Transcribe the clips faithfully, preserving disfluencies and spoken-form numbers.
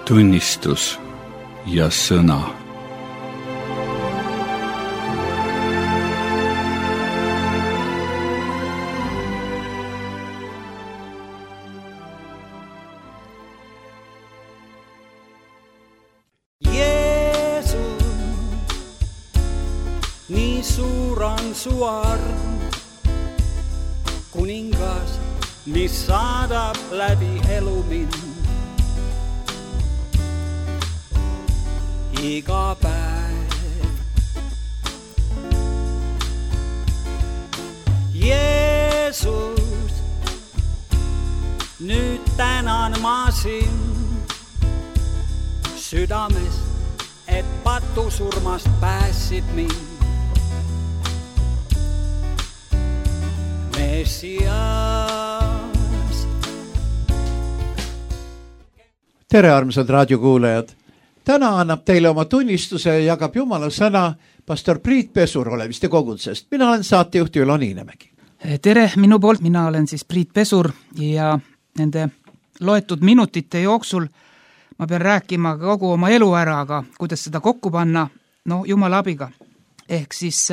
tunnistus ja sõna. Nii suur on su arm, kuningas, mis saadab läbi elu mind. Iga päev. Jeesus, nüüd tänan ma sind südamest, et patusurmast pääsid mind. Tere, armsad raadiokuulajad! Täna annab teile oma tunnistuse ja jagab Jumala sõna pastor Priit Pesur Oleviste kogudsest. Mina olen saatejuht Ülo Niinemägi. Tere minu poolt, mina olen siis Priit Pesur ja nende loetud minutite jooksul ma pean rääkima kogu oma elu ära, aga kuidas seda kokku panna, no Jumala abiga. Ehk siis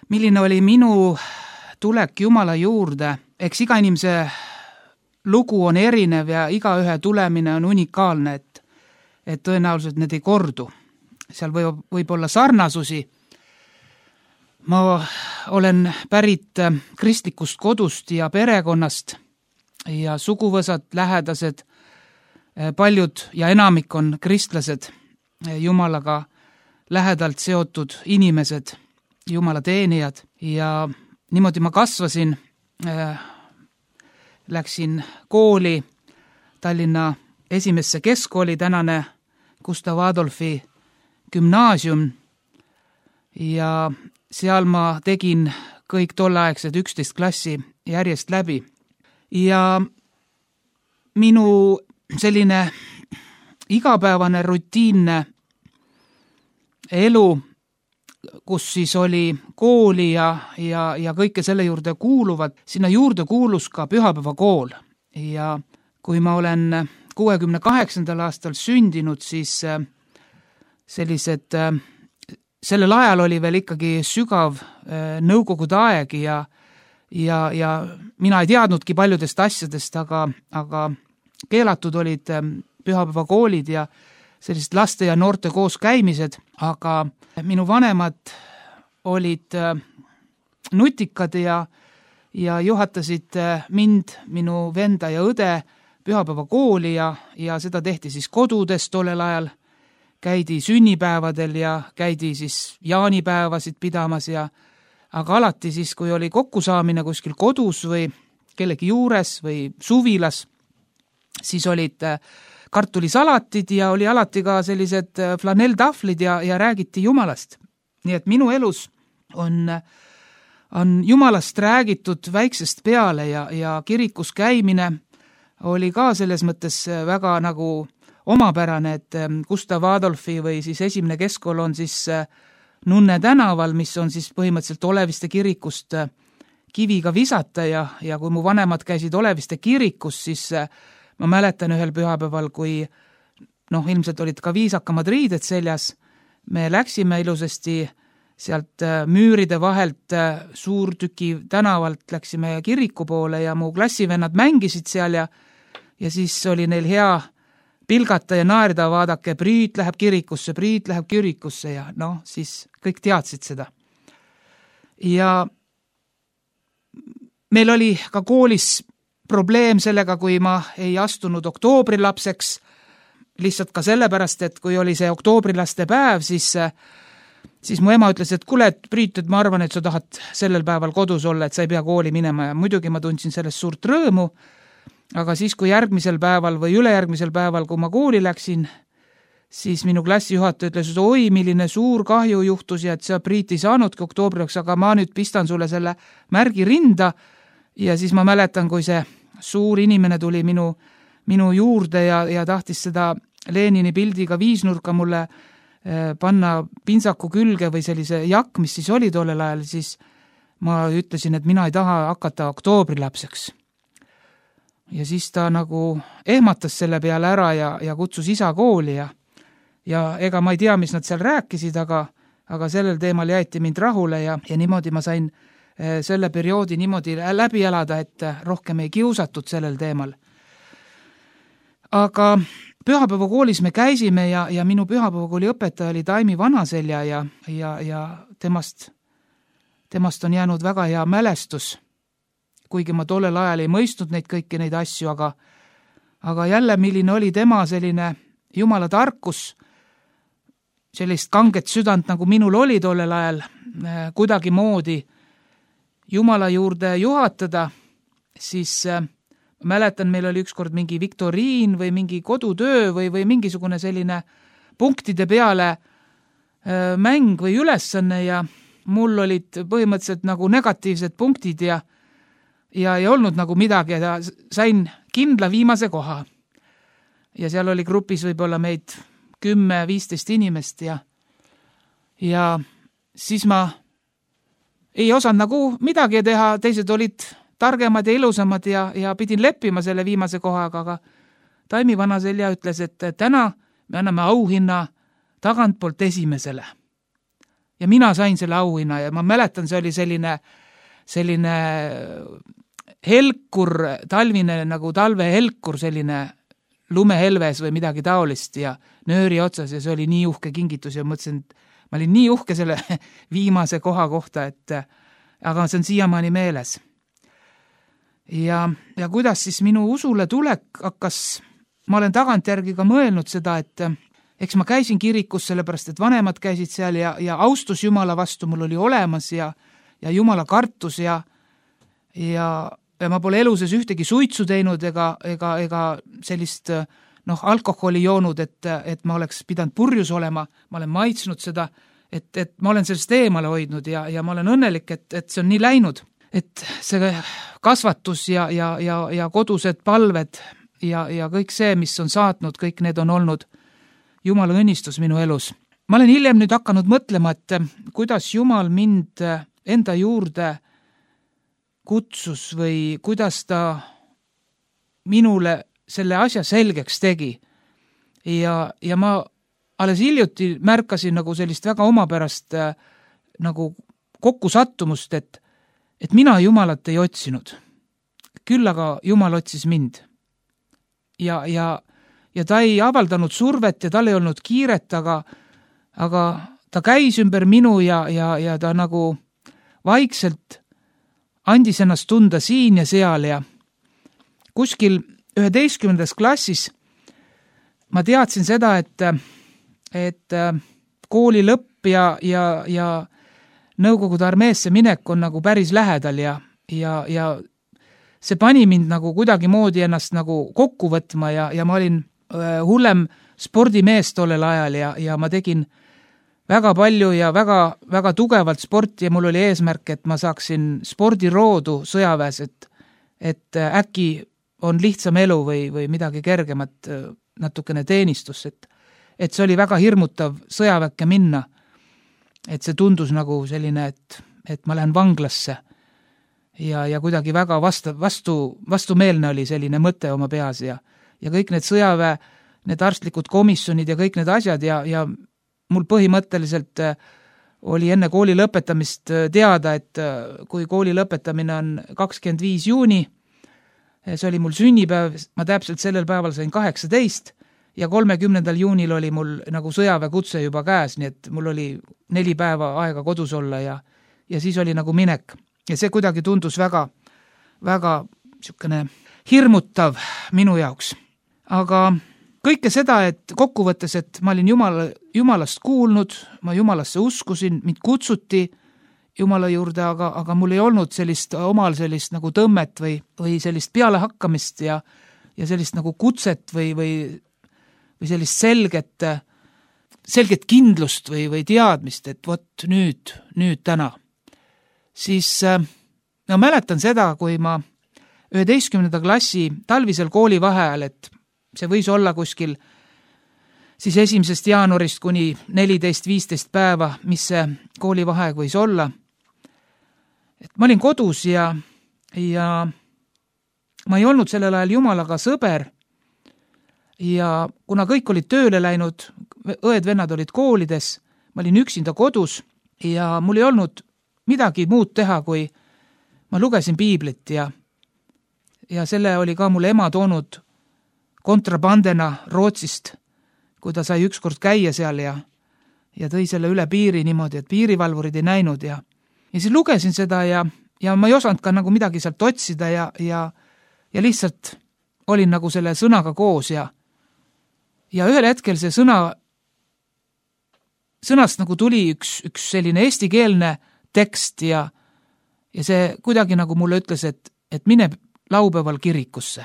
milline oli minu tulek Jumala juurde, eks iga inimese lugu on erinev ja iga ühe tulemine on unikaalne, et, et tõenäoliselt need ei kordu. Seal võib, võib olla sarnasusi. Ma olen pärit kristlikust kodust ja perekonnast ja suguvõsad, lähedased, paljud ja enamik on kristlased, Jumalaga lähedalt seotud inimesed, Jumala teenijad ja niimoodi ma kasvasin, äh, läksin kooli Tallinna esimesse keskkooli, tänane Gustav Adolfi gümnaasium ja seal ma tegin kõik tolleaegsed üksteist klassi järjest läbi. Ja minu selline igapäevane rutiinne elu, kus siis oli kooli ja, ja, ja kõike selle juurde kuuluvad, sinna juurde kuulus ka pühapäevakool. Ja kui ma olen kuuekümne kaheksandal aastal sündinud, siis sellised, sellel ajal oli veel ikkagi sügav nõukogude aeg ja, ja, ja mina ei teadnudki paljudest asjadest, aga, aga keelatud olid pühapäevakoolid ja sellised laste ja noorte koos käimised, aga minu vanemad olid nutikad ja, ja juhatasid mind, minu venda ja õde pühapäevakooli ja, ja seda tehti siis kodudes tollel ajal. Käidi sünnipäevadel ja käidi siis jaanipäevasid pidamas ja aga alati siis, kui oli kokkusaamine kuskil kodus või kellegi juures või suvilas, siis olid kartulisalatid ja oli alati ka sellised flanelltahvlid ja, ja räägiti Jumalast. Nii et minu elus on, on Jumalast räägitud väiksest peale ja, ja kirikus käimine oli ka selles mõttes väga nagu omapärane, et Gustav Adolfi või siis esimene keskkool on siis Nunne tänaval, mis on siis põhimõtteliselt Oleviste kirikust kiviga visata ja, ja kui mu vanemad käisid Oleviste kirikus, siis ma mäletan ühel pühapäeval, kui noh, ilmselt olid ka viisakamad riided seljas, me läksime ilusasti sealt müüride vahelt Suurtüki tänavalt, läksime kiriku poole ja mu klassivennad mängisid seal ja, ja siis oli neil hea pilgata ja naerda, vaadake, Priit läheb kirikusse, Priit läheb kirikusse ja noh, siis kõik teadsid seda. Ja meil oli ka koolis probleem sellega, kui ma ei astunud oktoobrilapseks, lihtsalt ka sellepärast, et kui oli see oktoobrilaste päev, siis, siis mu ema ütles, et kuule, et Priit, et ma arvan, et sa tahad sellel päeval kodus olla, et sa ei pea kooli minema ja muidugi ma tundsin sellest suurt rõõmu, aga siis, kui järgmisel päeval või ülejärgmisel päeval, kui ma kooli läksin, siis minu klassijuhataja ütles, et oi, milline suur kahju juhtus ja et sa Priit ei saanudki oktoobriks, aga ma nüüd pistan sulle selle märgi rinda ja siis ma mäletan, kui see suur inimene tuli minu, minu juurde ja, ja tahtis seda Lenini pildiga viisnurka mulle eh, panna pintsaku külge või sellise jakk, mis siis oli tollel ajal, siis ma ütlesin, et mina ei taha hakata oktoobrilapseks. ja siis ta nagu ehmatas selle peale ära ja, ja kutsus isa kooli ja, ja ega ma ei tea, mis nad seal rääkisid, aga, aga sellel teemal jäeti mind rahule ja, ja niimoodi ma sain selle perioodi niimoodi läbi elada, et rohkem ei kiusatud sellel teemal. Aga pühapäevakoolis me käisime ja, ja minu pühapäevakooli õpetaja oli Taimi Vanaselja ja, ja, ja temast, temast on jäänud väga hea mälestus, kuigi ma tollel ajal ei mõistnud neid kõiki neid asju, aga, aga jälle, milline oli tema selline Jumala tarkus, sellist kanget südant, nagu minul oli tollel ajal, kuidagi moodi Jumala juurde juhatada, siis äh, mäletan, meil oli ükskord mingi viktoriin või mingi kodutöö või, või mingisugune selline punktide peale äh, mäng või ülesanne ja mul olid põhimõtteliselt nagu negatiivsed punktid ja, ja ei olnud nagu midagi ja sain kindla viimase koha. Ja seal oli grupis võib-olla meid kümme, viisteist inimest ja, ja siis ma ei osanud nagu midagi teha, teised olid targemad ja ilusamad ja, ja pidin leppima selle viimase kohaga, aga Taimi Vanaselja ütles, et täna me anname auhinna tagantpoolt esimesele. Ja mina sain selle auhinna ja ma mäletan, see oli selline, selline helkur, talvine nagu talvehelkur, selline lumehelves või midagi taolist ja nööri otsas ja see oli nii uhke kingitus ja mõtlesin, et ma olin nii uhke selle viimase koha kohta, et aga see on siiamaani meeles. Ja, ja kuidas siis minu usule tulek hakkas, ma olen tagantjärgi ka mõelnud seda, et eks ma käisin kirikus sellepärast, et vanemad käisid seal ja, ja austus Jumala vastu mul oli olemas ja, ja Jumala kartus ja, ja, ja ma pole elu sees ühtegi suitsu teinud ega, ega, ega sellist noh, alkoholi joonud, et, et ma oleks pidanud purjus olema, ma olen maitsnud seda, et, et ma olen sellest eemale hoidnud ja, ja ma olen õnnelik, et, et see on nii läinud, et see kasvatus ja, ja, ja, ja kodused palved ja, ja kõik see, mis on saatnud, kõik need on olnud Jumala õnnistus minu elus. Ma olen hiljem nüüd hakanud mõtlema, et kuidas Jumal mind enda juurde kutsus või kuidas ta minule selle asja selgeks tegi. Ja, ja ma alles hiljuti märkasin nagu sellist väga omapärast äh, nagu kokkusattumust, et, et mina Jumalat ei otsinud. Küll aga Jumal otsis mind. Ja, ja, ja ta ei avaldanud survet ja tal ei olnud kiiret, aga, aga ta käis ümber minu ja, ja, ja ta nagu vaikselt andis ennast tunda siin ja seal ja kuskil üheteistkümnendas klassis ma teadsin seda, et, et kooli lõpp ja, ja, ja Nõukogude armeesse minek on nagu päris lähedal ja, ja, ja see pani mind nagu kuidagi moodi ennast nagu kokku võtma ja, ja ma olin hullem spordimees tollel ajal ja, ja ma tegin väga palju ja väga, väga tugevalt sporti ja mul oli eesmärk, et ma saaksin spordiroodu sõjaväes, et, et äkki on lihtsam elu või, või midagi kergemat, natukene teenistus, et, et see oli väga hirmutav sõjaväkke minna, et see tundus nagu selline, et, et ma lähen vanglasse ja, ja kuidagi väga vastu, vastu, vastumeelne oli selline mõte oma peas ja, ja kõik need sõjaväe, need arstlikud komisjonid ja kõik need asjad ja, ja mul põhimõtteliselt oli enne kooli lõpetamist teada, et kui kooli lõpetamine on kakskümmend viis juuni, see oli mul sünnipäev, ma täpselt sellel päeval sain kaheksateist ja kolmekümnendal juunil oli mul nagu sõjaväekutse juba käes, nii et mul oli neli päeva aega kodus olla ja, ja siis oli nagu minek. Ja see kuidagi tundus väga, väga niisugune hirmutav minu jaoks. Aga kõike seda, et kokkuvõttes, et ma olin Jumala, Jumalast kuulnud, ma Jumalasse uskusin, mind kutsuti Jumala juurde, aga, aga mul ei olnud sellist omal sellist nagu tõmmet või, või sellist pealehakkamist ja, ja sellist nagu kutset või, või, või sellist selget, selget kindlust või, või teadmist, et vot nüüd, nüüd täna. Siis no mäletan seda, kui ma üheteistkümnenda klassi talvisel koolivaheajal, et see võis olla kuskil siis esimesest jaanuarist kuni neliteist viisteist päeva, mis see koolivaheaeg võis olla. Et ma olin kodus ja, ja ma ei olnud sellel ajal Jumalaga sõber ja kuna kõik olid tööle läinud, õed-vennad olid koolides, ma olin üksinda kodus ja mul ei olnud midagi muud teha, kui ma lugesin piiblit ja, ja selle oli ka mulle ema toonud kontrabandena Rootsist, kui ta sai ükskord käia seal ja, ja tõi selle üle piiri niimoodi, et piirivalvurid ei näinud ja, ja siis lugesin seda ja, ja ma ei osanud ka nagu midagi sealt otsida ja, ja, ja lihtsalt olin nagu selle sõnaga koos ja, ja ühel hetkel see sõna, sõnast nagu tuli üks, üks selline eestikeelne tekst ja, ja see kuidagi nagu mulle ütles, et, et mine laupäeval kirikusse.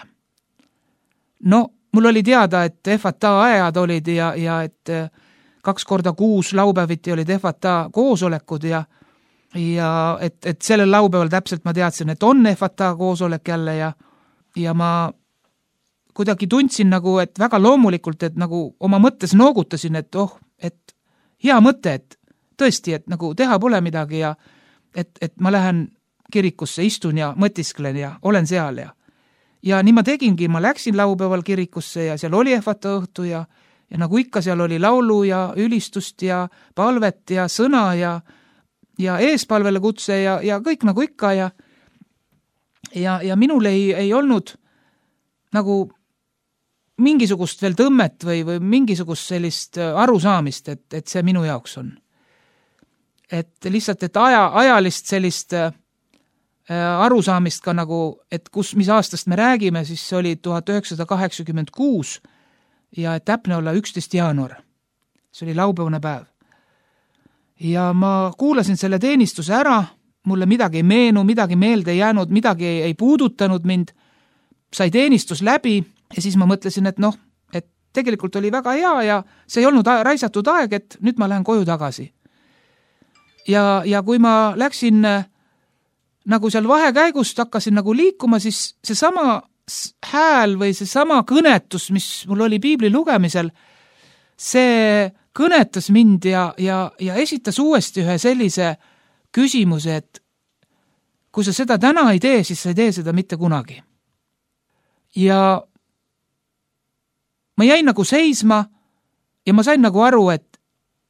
No, mul oli teada, et F A T A ajad olid ja, ja et kaks korda kuus laupäeviti olid F A T A koosolekud ja, ja et, et sellel laupäeval täpselt ma teadsin, et on F A T A koosolek jälle ja, ja ma kuidagi tundsin nagu, et väga loomulikult, et nagu oma mõttes noogutasin, et oh, et hea mõte, et tõesti, et nagu teha pole midagi ja et, et ma lähen kirikusse, istun ja mõtisklen ja olen seal ja ja nii ma tegingi, ma läksin laupäeval kirikusse ja seal oli F A T A õhtu ja, ja nagu ikka seal oli laulu ja ülistust ja palvet ja sõna ja, ja eespalvele kutse ja, ja kõik nagu ikka ja ja, ja minul ei, ei olnud nagu mingisugust veel tõmmet või, või mingisugust sellist arusaamist, et, et see minu jaoks on. Et lihtsalt, et aja, ajalist sellist äh, arusaamist ka nagu, et kus, mis aastast me räägime, siis see oli tuhat üheksasada kaheksakümmend kuus ja et täpne olla üksteist jaanuar. See oli laupäevane päev. Ja ma kuulasin selle teenistuse ära, mulle midagi ei meenu, midagi meelde ei jäänud, midagi ei, ei puudutanud mind, sai teenistus läbi ja siis ma mõtlesin, et noh, et tegelikult oli väga hea ja see ei olnud raisatud aeg, et nüüd ma lähen koju tagasi. Ja, ja kui ma läksin nagu seal vahekäigust, hakkasin nagu liikuma, siis see sama hääl või see sama kõnetus, mis mul oli piibli lugemisel, see kõnetas mind ja, ja, ja esitas uuesti ühe sellise küsimuse, et kui sa seda täna ei tee, siis sa ei tee seda mitte kunagi. Ja ma jäin nagu seisma ja ma sain nagu aru, et,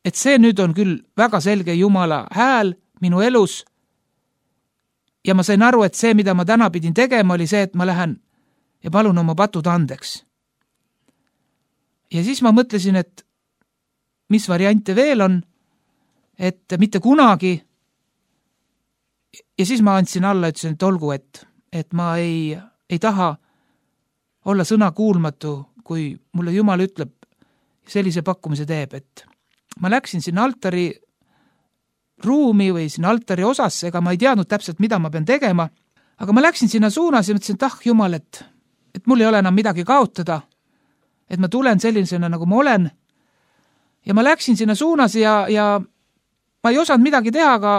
et see nüüd on küll väga selge Jumala hääl minu elus ja ma sain aru, et see, mida ma täna pidin tegema, oli see, et ma lähen ja palun oma patud andeks. Ja siis ma mõtlesin, et mis variante veel on, et mitte kunagi ja siis ma andsin alla, ütlesin, et olgu, et, et ma ei, ei taha olla sõna kuulmatu, kui mulle Jumal ütleb, sellise pakkumise teeb, et ma läksin sinna altari ruumi või sinna altari osasse, ega ma ei teadnud täpselt, mida ma pean tegema, aga ma läksin sinna suunas ja mõtlesin, et ah, Jumal, et, et mul ei ole enam midagi kaotada, et ma tulen sellisena, nagu ma olen. Ja ma läksin sinna suunas ja, ja ma ei osanud midagi teha, aga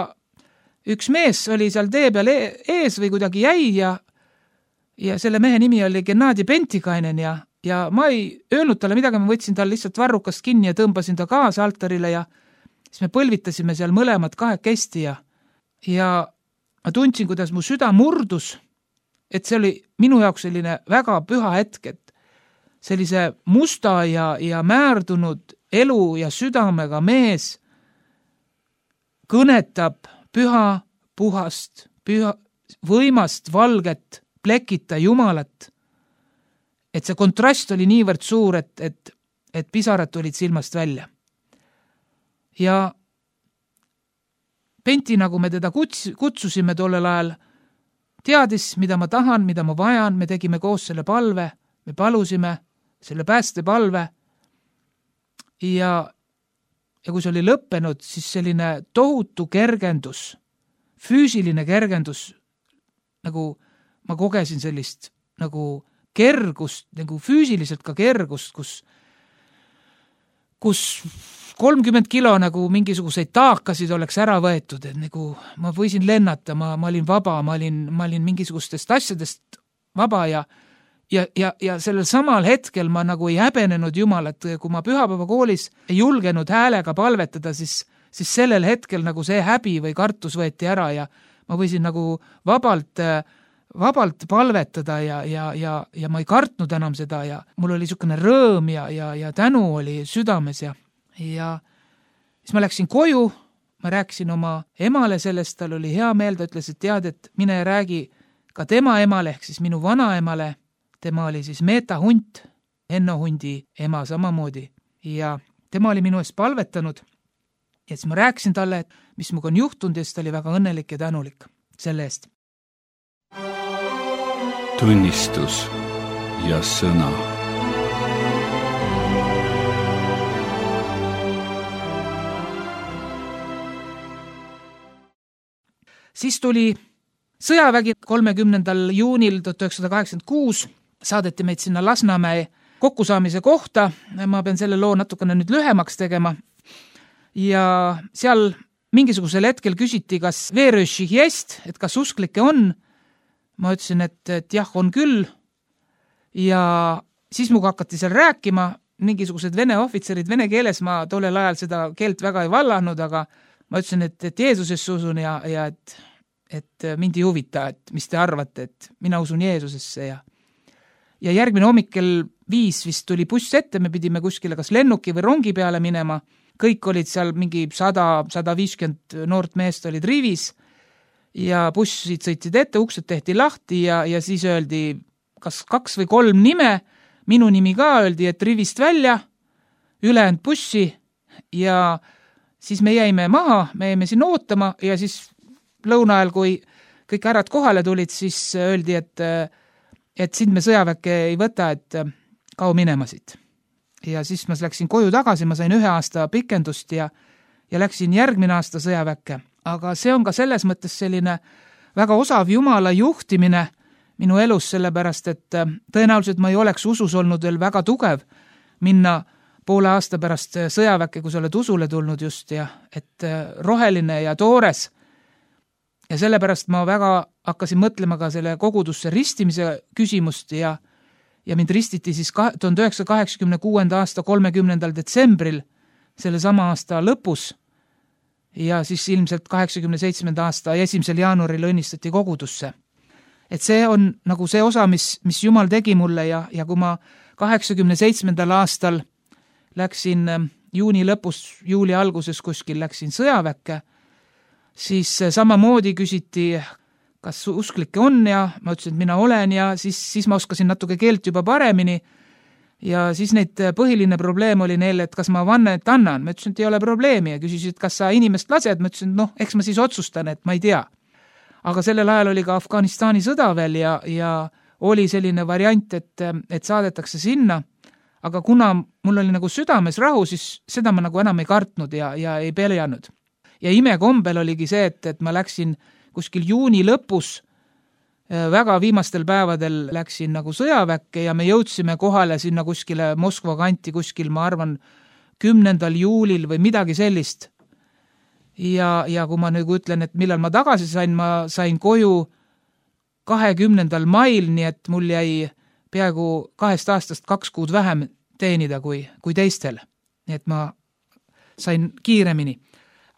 üks mees oli seal tee peal ees või kuidagi jäi ja ja selle mehe nimi oli Gennadi Pentikainen ja, ja ma ei öelnud talle midagi, ma võtsin tal lihtsalt varrukast kinni ja tõmbasin ta kaasa altarile ja siis me põlvitasime seal mõlemad kahekesti ja, ja ma tundsin, kuidas mu süda murdus, et see oli minu jaoks selline väga püha hetk, et sellise musta ja, ja määrdunud elu ja südamega mees kõnetab püha, puhast, püha, võimast, valget, plekita Jumalat, et see kontrast oli niivõrd suur, et, et, et pisarad tulid silmast välja. Ja Penti, nagu me teda kuts, kutsusime tollel ajal, teadis, mida ma tahan, mida ma vajan, me tegime koos selle palve, me palusime selle päästepalve ja, ja kui see oli lõppenud, siis selline tohutu kergendus, füüsiline kergendus, nagu ma kogesin sellist nagu kergust, nagu füüsiliselt ka kergust, kus, kus kolmkümmend kilo nagu mingisuguseid taakasid oleks ära võetud, et nagu ma võisin lennata, ma, ma olin vaba, ma olin, ma olin mingisugustest asjadest vaba ja, ja, ja, ja sellel samal hetkel ma nagu ei häbenenud Jumalat, kui ma pühapäeva koolis ei julgenud häälega palvetada, siis, siis sellel hetkel nagu see häbi või kartus võeti ära ja ma võisin nagu vabalt vabalt palvetada ja, ja, ja, ja ma ei kartnud enam seda ja mul oli niisugune rõõm ja, ja, ja tänu oli südames ja, ja siis ma läksin koju, ma rääkisin oma emale sellest, tal oli hea meel, ta ütles, et tead, et mine ja räägi ka tema emale, ehk siis minu vanaemale, tema oli siis Meeta Hunt, Henno Hundi ema samamoodi ja tema oli minu eest palvetanud ja siis ma rääkisin talle, et mis minuga on juhtunud ja siis ta oli väga õnnelik ja tänulik selle eest. Tunnistus ja sõna. Siis tuli sõjavägi kolmekümnendal juunil tuhat üheksasada kaheksakümmend kuus, saadeti meid sinna Lasnamäe kokkusaamise kohta, ma pean selle loo natukene nüüd lühemaks tegema ja seal mingisugusel hetkel küsiti, kas veerööšik jest, et kas usklikke on. Ma ütlesin, et, et jah, on küll ja siis muga hakati seal rääkima, mingisugused vene ohvitserid vene keeles, ma tollel ajal seda keelt väga ei vallanud, aga ma ütlesin, et, et Jeesusesse usun ja, ja et, et mind ei huvita, et mis te arvate, et mina usun Jeesusesse ja ja järgmine hommikkel viis vist tuli buss ette, me pidime kuskile kas lennuki või rongi peale minema, kõik olid seal mingi sada, sada viiskümmend noort meest olid rivis ja bussid sõitsid ette, uksed tehti lahti ja, ja siis öeldi kas kaks või kolm nime, minu nimi ka öeldi, et rivist välja, ülejäänud bussi ja siis me jäime maha, me jäime siin ootama ja siis lõuna ajal, kui kõik ärad kohale tulid, siis öeldi, et, et sind me sõjaväkke ei võta, et kao minema siit. Ja siis ma läksin koju tagasi, ma sain ühe aasta pikendust ja, ja läksin järgmine aasta sõjaväkke. Aga see on ka selles mõttes selline väga osav Jumala juhtimine minu elus, sellepärast, et tõenäoliselt ma ei oleks usus olnud veel väga tugev minna poole aasta pärast sõjaväkke, kui sa oled usule tulnud just ja et roheline ja toores. Ja sellepärast ma väga hakkasin mõtlema ka selle kogudusse ristimise küsimust ja, ja mind ristiti siis tuhande üheksasaja kaheksakümne kuuenda aasta kolmekümnendal detsembril, selle sama aasta lõpus ja siis ilmselt kaheksakümne seitsmenda aasta esimesel jaanuaril õnnistati kogudusse. Et see on nagu see osa, mis, mis Jumal tegi mulle ja, ja kui ma kaheksakümne seitsmendal aastal läksin juuni lõpus, juuli alguses kuskil läksin sõjaväkke, siis samamoodi küsiti, kas usklikke on ja ma ütlesin, et mina olen ja siis, siis ma oskasin natuke keelt juba paremini ja siis neid põhiline probleem oli neil, et kas ma vannet annan. Ma ütlesin, et ei ole probleemi ja küsisid, kas sa inimest lased. Ma ütlesin, et noh, eks ma siis otsustan, et ma ei tea. Aga sellel ajal oli ka Afganistani sõda veel ja, ja oli selline variant, et, et saadetakse sinna. Aga kuna mul oli nagu südames rahu, siis seda ma nagu enam ei kartnud ja, ja ei peljanud. Ja imekombel oligi see, et, et ma läksin kuskil juuni lõpus, väga viimastel päevadel läksin nagu sõjaväkke ja me jõudsime kohale sinna kuskile Moskva kanti kuskil, ma arvan, kümnendal juulil või midagi sellist. Ja, ja kui ma nüüd ütlen, et millal ma tagasi sain, ma sain koju kahekümnendal mail, nii et mul jäi peaaegu kahest aastast kaks kuud vähem teenida kui, kui teistel. Nii et ma sain kiiremini.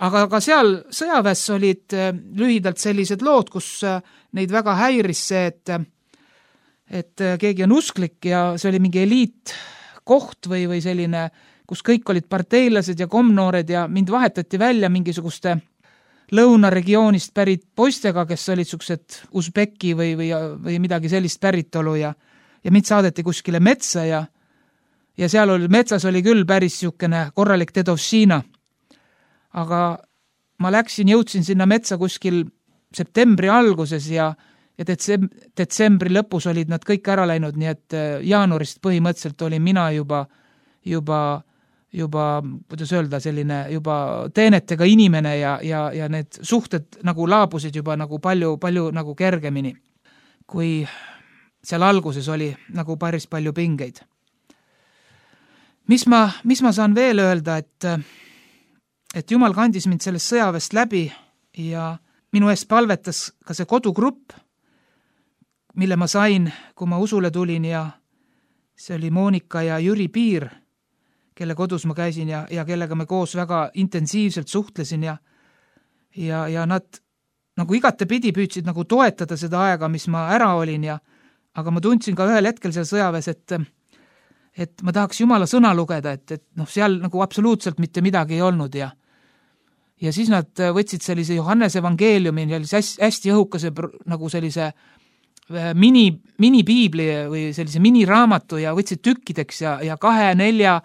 Aga ka seal sõjaväes olid lühidalt sellised lood, kus neid väga häiris see, et, et keegi on usklik ja see oli mingi eliitkoht või, või selline, kus kõik olid parteilased ja komnoored ja mind vahetati välja mingisuguste lõunaregioonist pärit poistega, kes olid suksed Usbeki või, või, või midagi sellist päritolu ja, ja mind saadeti kuskile metsa ja, ja seal oli, metsas oli küll päris siukene korralik dedovšina. Aga ma läksin, jõudsin sinna metsa kuskil septembri alguses ja, ja detsembri lõpus olid nad kõik ära läinud, nii et jaanuarist põhimõtteliselt olin mina juba, juba, juba, kuidas öelda, selline juba teenetega inimene ja, ja, ja need suhted nagu laabusid juba nagu palju, palju nagu kergemini, kui seal alguses oli nagu päris palju pingeid. Mis ma, mis ma saan veel öelda, et et Jumal kandis mind sellest sõjaväest läbi ja minu eest palvetas ka see kodugrupp, mille ma sain, kui ma usule tulin ja see oli Moonika ja Jüri Piir, kelle kodus ma käisin ja, ja kellega me koos väga intensiivselt suhtlesin ja, ja, ja nad, nagu igatepidi püüdsid nagu toetada seda aega, mis ma ära olin ja aga ma tundsin ka ühel hetkel seal sõjaväes, et et ma tahaks Jumala sõna lugeda, et, et noh, seal nagu absoluutselt mitte midagi ei olnud ja ja siis nad võtsid sellise Johannese evangeeliumi, hästi, hästi õhukase nagu sellise mini, mini-piibli või sellise miniraamatu ja võtsid tükkideks ja, ja kahe, nelja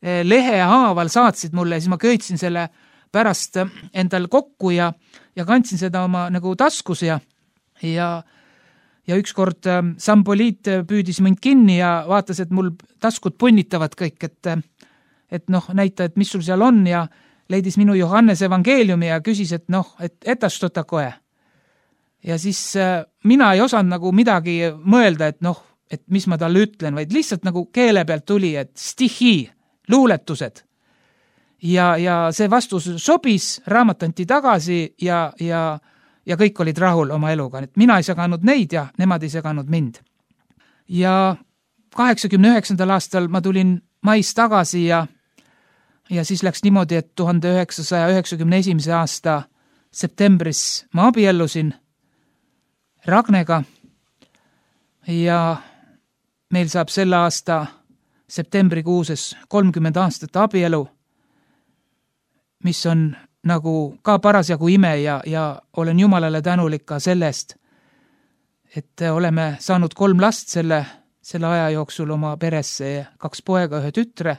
lehe haaval saatsid mulle ja siis ma köitsin selle pärast endal kokku ja, ja kandsin seda oma nagu taskus ja ja ja ükskord Sampoliit püüdis mind kinni ja vaatas, et mul taskud punnitavad kõik, et, et noh, näita, et mis sul seal on ja leidis minu Johannese evangeeliumi ja küsis, et noh, et etas tota koe. Ja siis mina ei osanud nagu midagi mõelda, et noh, et mis ma talle ütlen, vaid lihtsalt nagu keele pealt tuli, et stihi, luuletused. Ja, ja see vastus sobis, raamat anti tagasi ja, ja ja kõik olid rahul oma eluga, et mina ei seganud neid ja nemad ei seganud mind. Ja kaheksakümne üheksandal aastal ma tulin mais tagasi ja, ja siis läks niimoodi, et tuhande üheksasaja üheksakümne esimese aasta septembris ma abiellusin Ragnega ja meil saab selle aasta septembrikuuses kolmkümmend aastat abielu, mis on nagu ka parasjagu ime ja, ja olen Jumalale tänulik ka sellest, et oleme saanud kolm last selle, selle aja jooksul oma peresse, kaks poega, ühe tütre.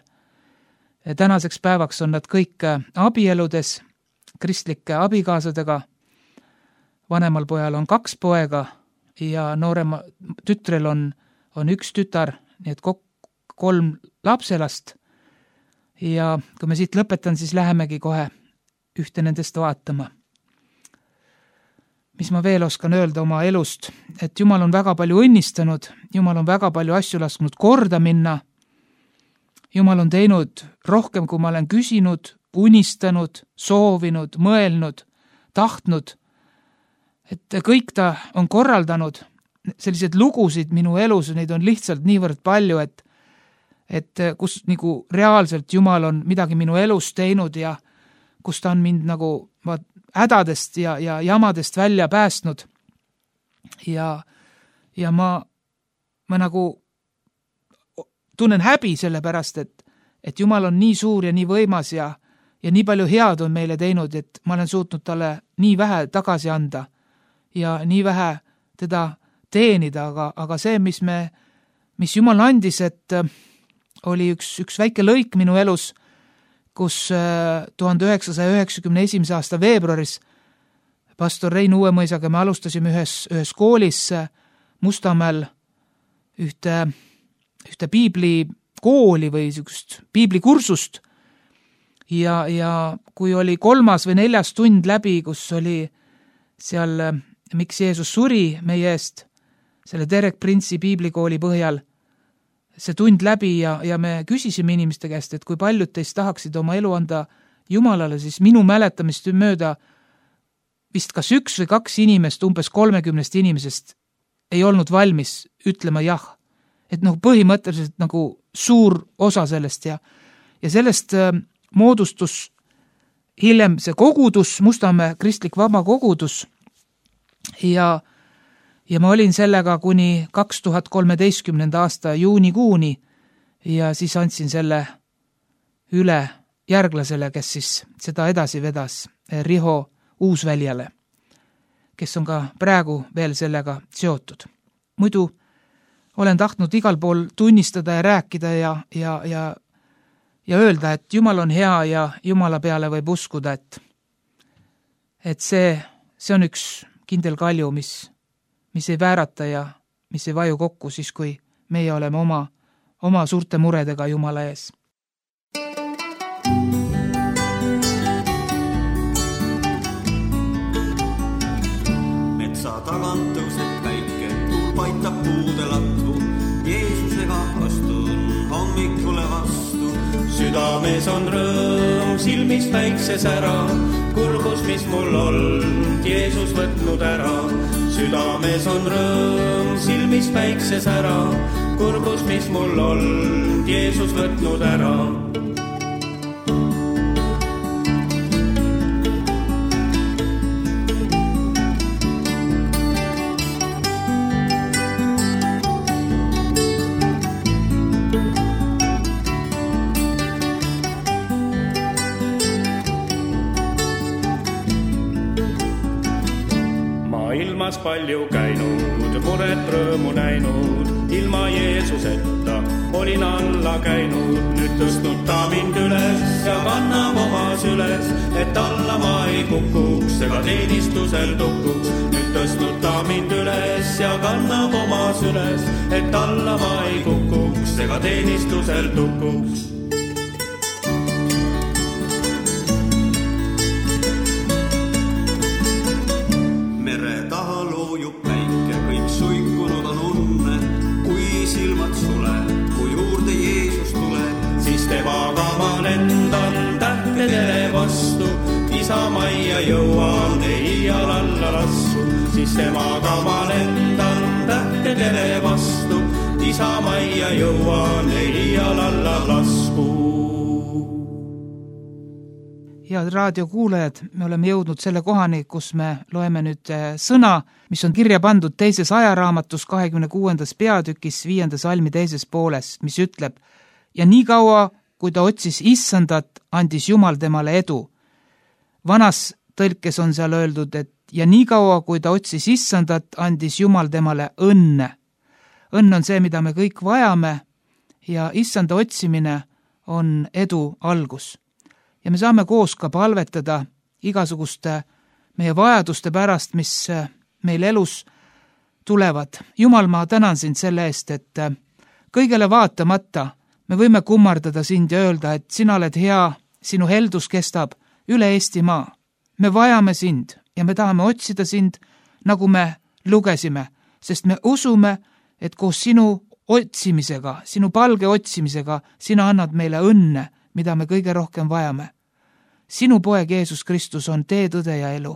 Tänaseks päevaks on nad kõik abieludes, kristlike abikaasadega. Vanemal pojal on kaks poega ja noorema tütrel on, on üks tütar, nii et kokku kolm lapselast. Ja kui me siit lõpetan, siis lähemegi kohe ühte nendest vaatama. Mis ma veel oskan öelda oma elust, et Jumal on väga palju õnnistanud, Jumal on väga palju asju lasknud korda minna, Jumal on teinud rohkem, kui ma olen küsinud, unistanud, soovinud, mõelnud, tahtnud, et kõik ta on korraldanud, sellised lugusid minu elus, neid on lihtsalt niivõrd palju, et, et kus nagu reaalselt Jumal on midagi minu elus teinud ja kus ta on mind nagu hädadest ja, ja jamadest välja päästnud. Ja, ja ma, ma nagu tunnen häbi selle pärast, et, et Jumal on nii suur ja nii võimas ja, ja nii palju head on meile teinud, et ma olen suutnud talle nii vähe tagasi anda ja nii vähe teda teenida, aga, aga see, mis, me, mis Jumal andis, et oli üks, üks väike lõik minu elus, kus tuhande üheksasaja üheksakümne esimese aasta veebruaris pastor Rein Uuemõisaga me alustasime ühes, ühes koolis Mustamäel ühte, ühte piiblikooli või niisugust piiblikursust ja, ja kui oli kolmas või neljas tund läbi, kus oli seal Miks Jeesus suri meie eest selle Derek Prince'i piiblikooli põhjal, see tund läbi ja, ja me küsisime inimeste käest, et kui paljud teist tahaksid oma elu anda Jumalale, siis minu mäletamist mööda vist kas üks või kaks inimest, umbes kolmekümnest inimesest ei olnud valmis ütlema jah. Et noh, põhimõtteliselt nagu suur osa sellest ja, ja sellest äh, moodustus hiljem see kogudus, Mustamäe kristlik vaba kogudus ja Ja ma olin sellega kuni kaks tuhat kolmeteistkümnenda aasta juunikuuni ja siis andsin selle üle järglasele, kes siis seda edasi vedas, Riho Uusväljale, kes on ka praegu veel sellega seotud. Muidu olen tahtnud igal pool tunnistada ja rääkida ja, ja, ja, ja öelda, et Jumal on hea ja Jumala peale võib uskuda, et, et see, see on üks kindel kalju, mis mis ei väärata ja mis ei vaju kokku siis, kui meie oleme oma, oma suurte muredega Jumala ees. Metsa tagant tõuseb päike, tuul paitab puude latvu, Jeesusega astun hommikule vastu. Südames on rõõm, silmis väikses ära, kurbus, mis mul olnud, Jeesus võtnud ära. Südames on rõõm, silmis päikses ära, kurbus, mis mul olnud, Jeesus võtnud ära. ilmas palju käinud, muret rõõmu näinud, ilma Jeesuseta olin alla käinud. Nüüd tõstnud ta mind üles ja kannab oma süles, et alla ma ei kukuks ega teenistusel tukuks. Nüüd tõstnud ta mind üles ja kannab oma süles, et alla ma ei kukuks ega teenistusel tukuks. Mere taha loojub päike, kõik suikunud on unne, kui silmad sule, kui juurde Jeesus tuleb, siis temaga ma lendan tähtedele vastu, isamajja jõuan, ei iial alla lassu. Siis temaga ma lendan tähtedele vastu, isamajja jõuan, ei iial alla lasku. Head raadiokuulajad, me oleme jõudnud selle kohani, kus me loeme nüüd sõna, mis on kirja pandud teises ajaraamatus kahekümne kuuendas peatükis viienda salmi teises pooles, mis ütleb: ja nii kaua, kui ta otsis issandat, andis Jumal temale edu. Vanas tõlkes on seal öeldud, et ja nii kaua, kui ta otsis issandat, andis Jumal temale õnne. Õnn on see, mida me kõik vajame, ja issanda otsimine on edu algus. Ja me saame koos ka palvetada igasuguste meie vajaduste pärast, mis meil elus tulevad. Jumal, ma tänan sind selle eest, et kõigele vaatamata me võime kummardada sind ja öelda, et sina oled hea, sinu heldus kestab üle Eestimaa. Me vajame sind ja me tahame otsida sind, nagu me lugesime, sest me usume, et koos sinu otsimisega, sinu palge otsimisega, sina annad meile õnne, mida me kõige rohkem vajame. Sinu poeg Jeesus Kristus on tee, tõde ja elu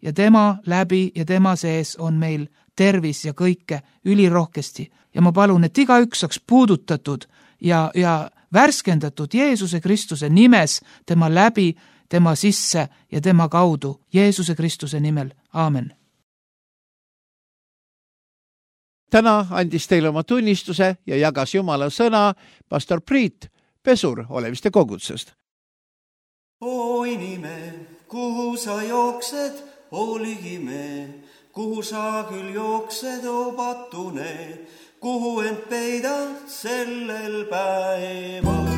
ja tema läbi ja tema sees on meil tervis ja kõike ülirohkesti. Ja ma palun, et iga üks saaks puudutatud ja, ja värskendatud Jeesuse Kristuse nimes, tema läbi, tema sisse ja tema kaudu. Jeesuse Kristuse nimel. Aamen. Täna andis teile oma tunnistuse ja jagas Jumala sõna pastor Priit Pesur Oleviste kogutsest. O inime, kuhu sa jooksed, hooligi me, kuhu sa küll jooksed, o patune, kuhu end peidad sellel päeval.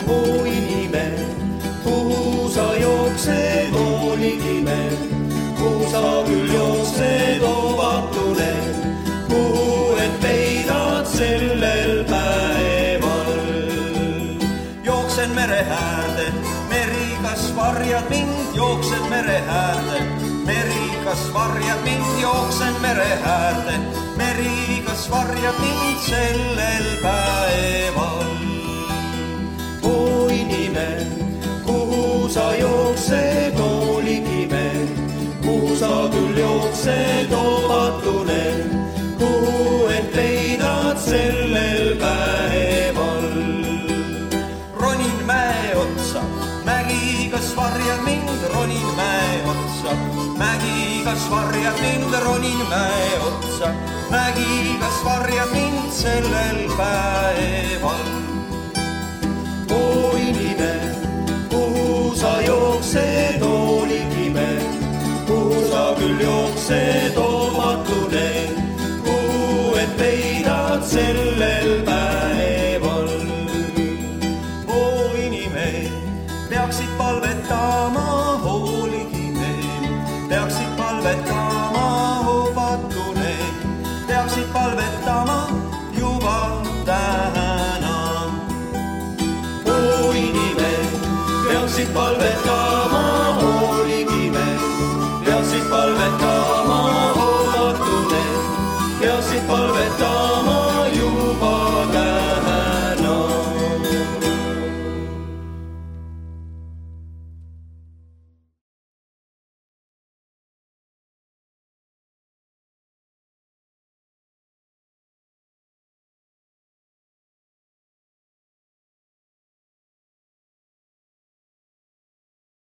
O inime, kuhu sa jooksed, hooligi me, kuhu sa küll jooksed, o patune, kuhu end peidad sellel päeval. Jooksen mere äärde, meri kas varjad mind, jooksen mere äärde, meri kas varjad mind, jooksen mere äärde, meri kas varjad mind sellel päeval. O inime, kuhu sa jooksed, hooligi me, kuhu sa küll jooksed, o patune, kuhu end peidad sellel päeval. Ronin mäe otsa, mägi kas varjad mind, ronin mäe otsa, mägi kas varjad mind, ronin mäe otsa, mägi kas varjad mind sellel päeval. O inime, kuhu sa jooksed, hooligi me, kuhu sa küll jooksed, o patune, kuhu end peidad sellel päeval. O inime, peaksid palvetama, hooligi me, peaksid palvetama, o patune, peaksid palvetama juba täna. O inime, peaksid palvetama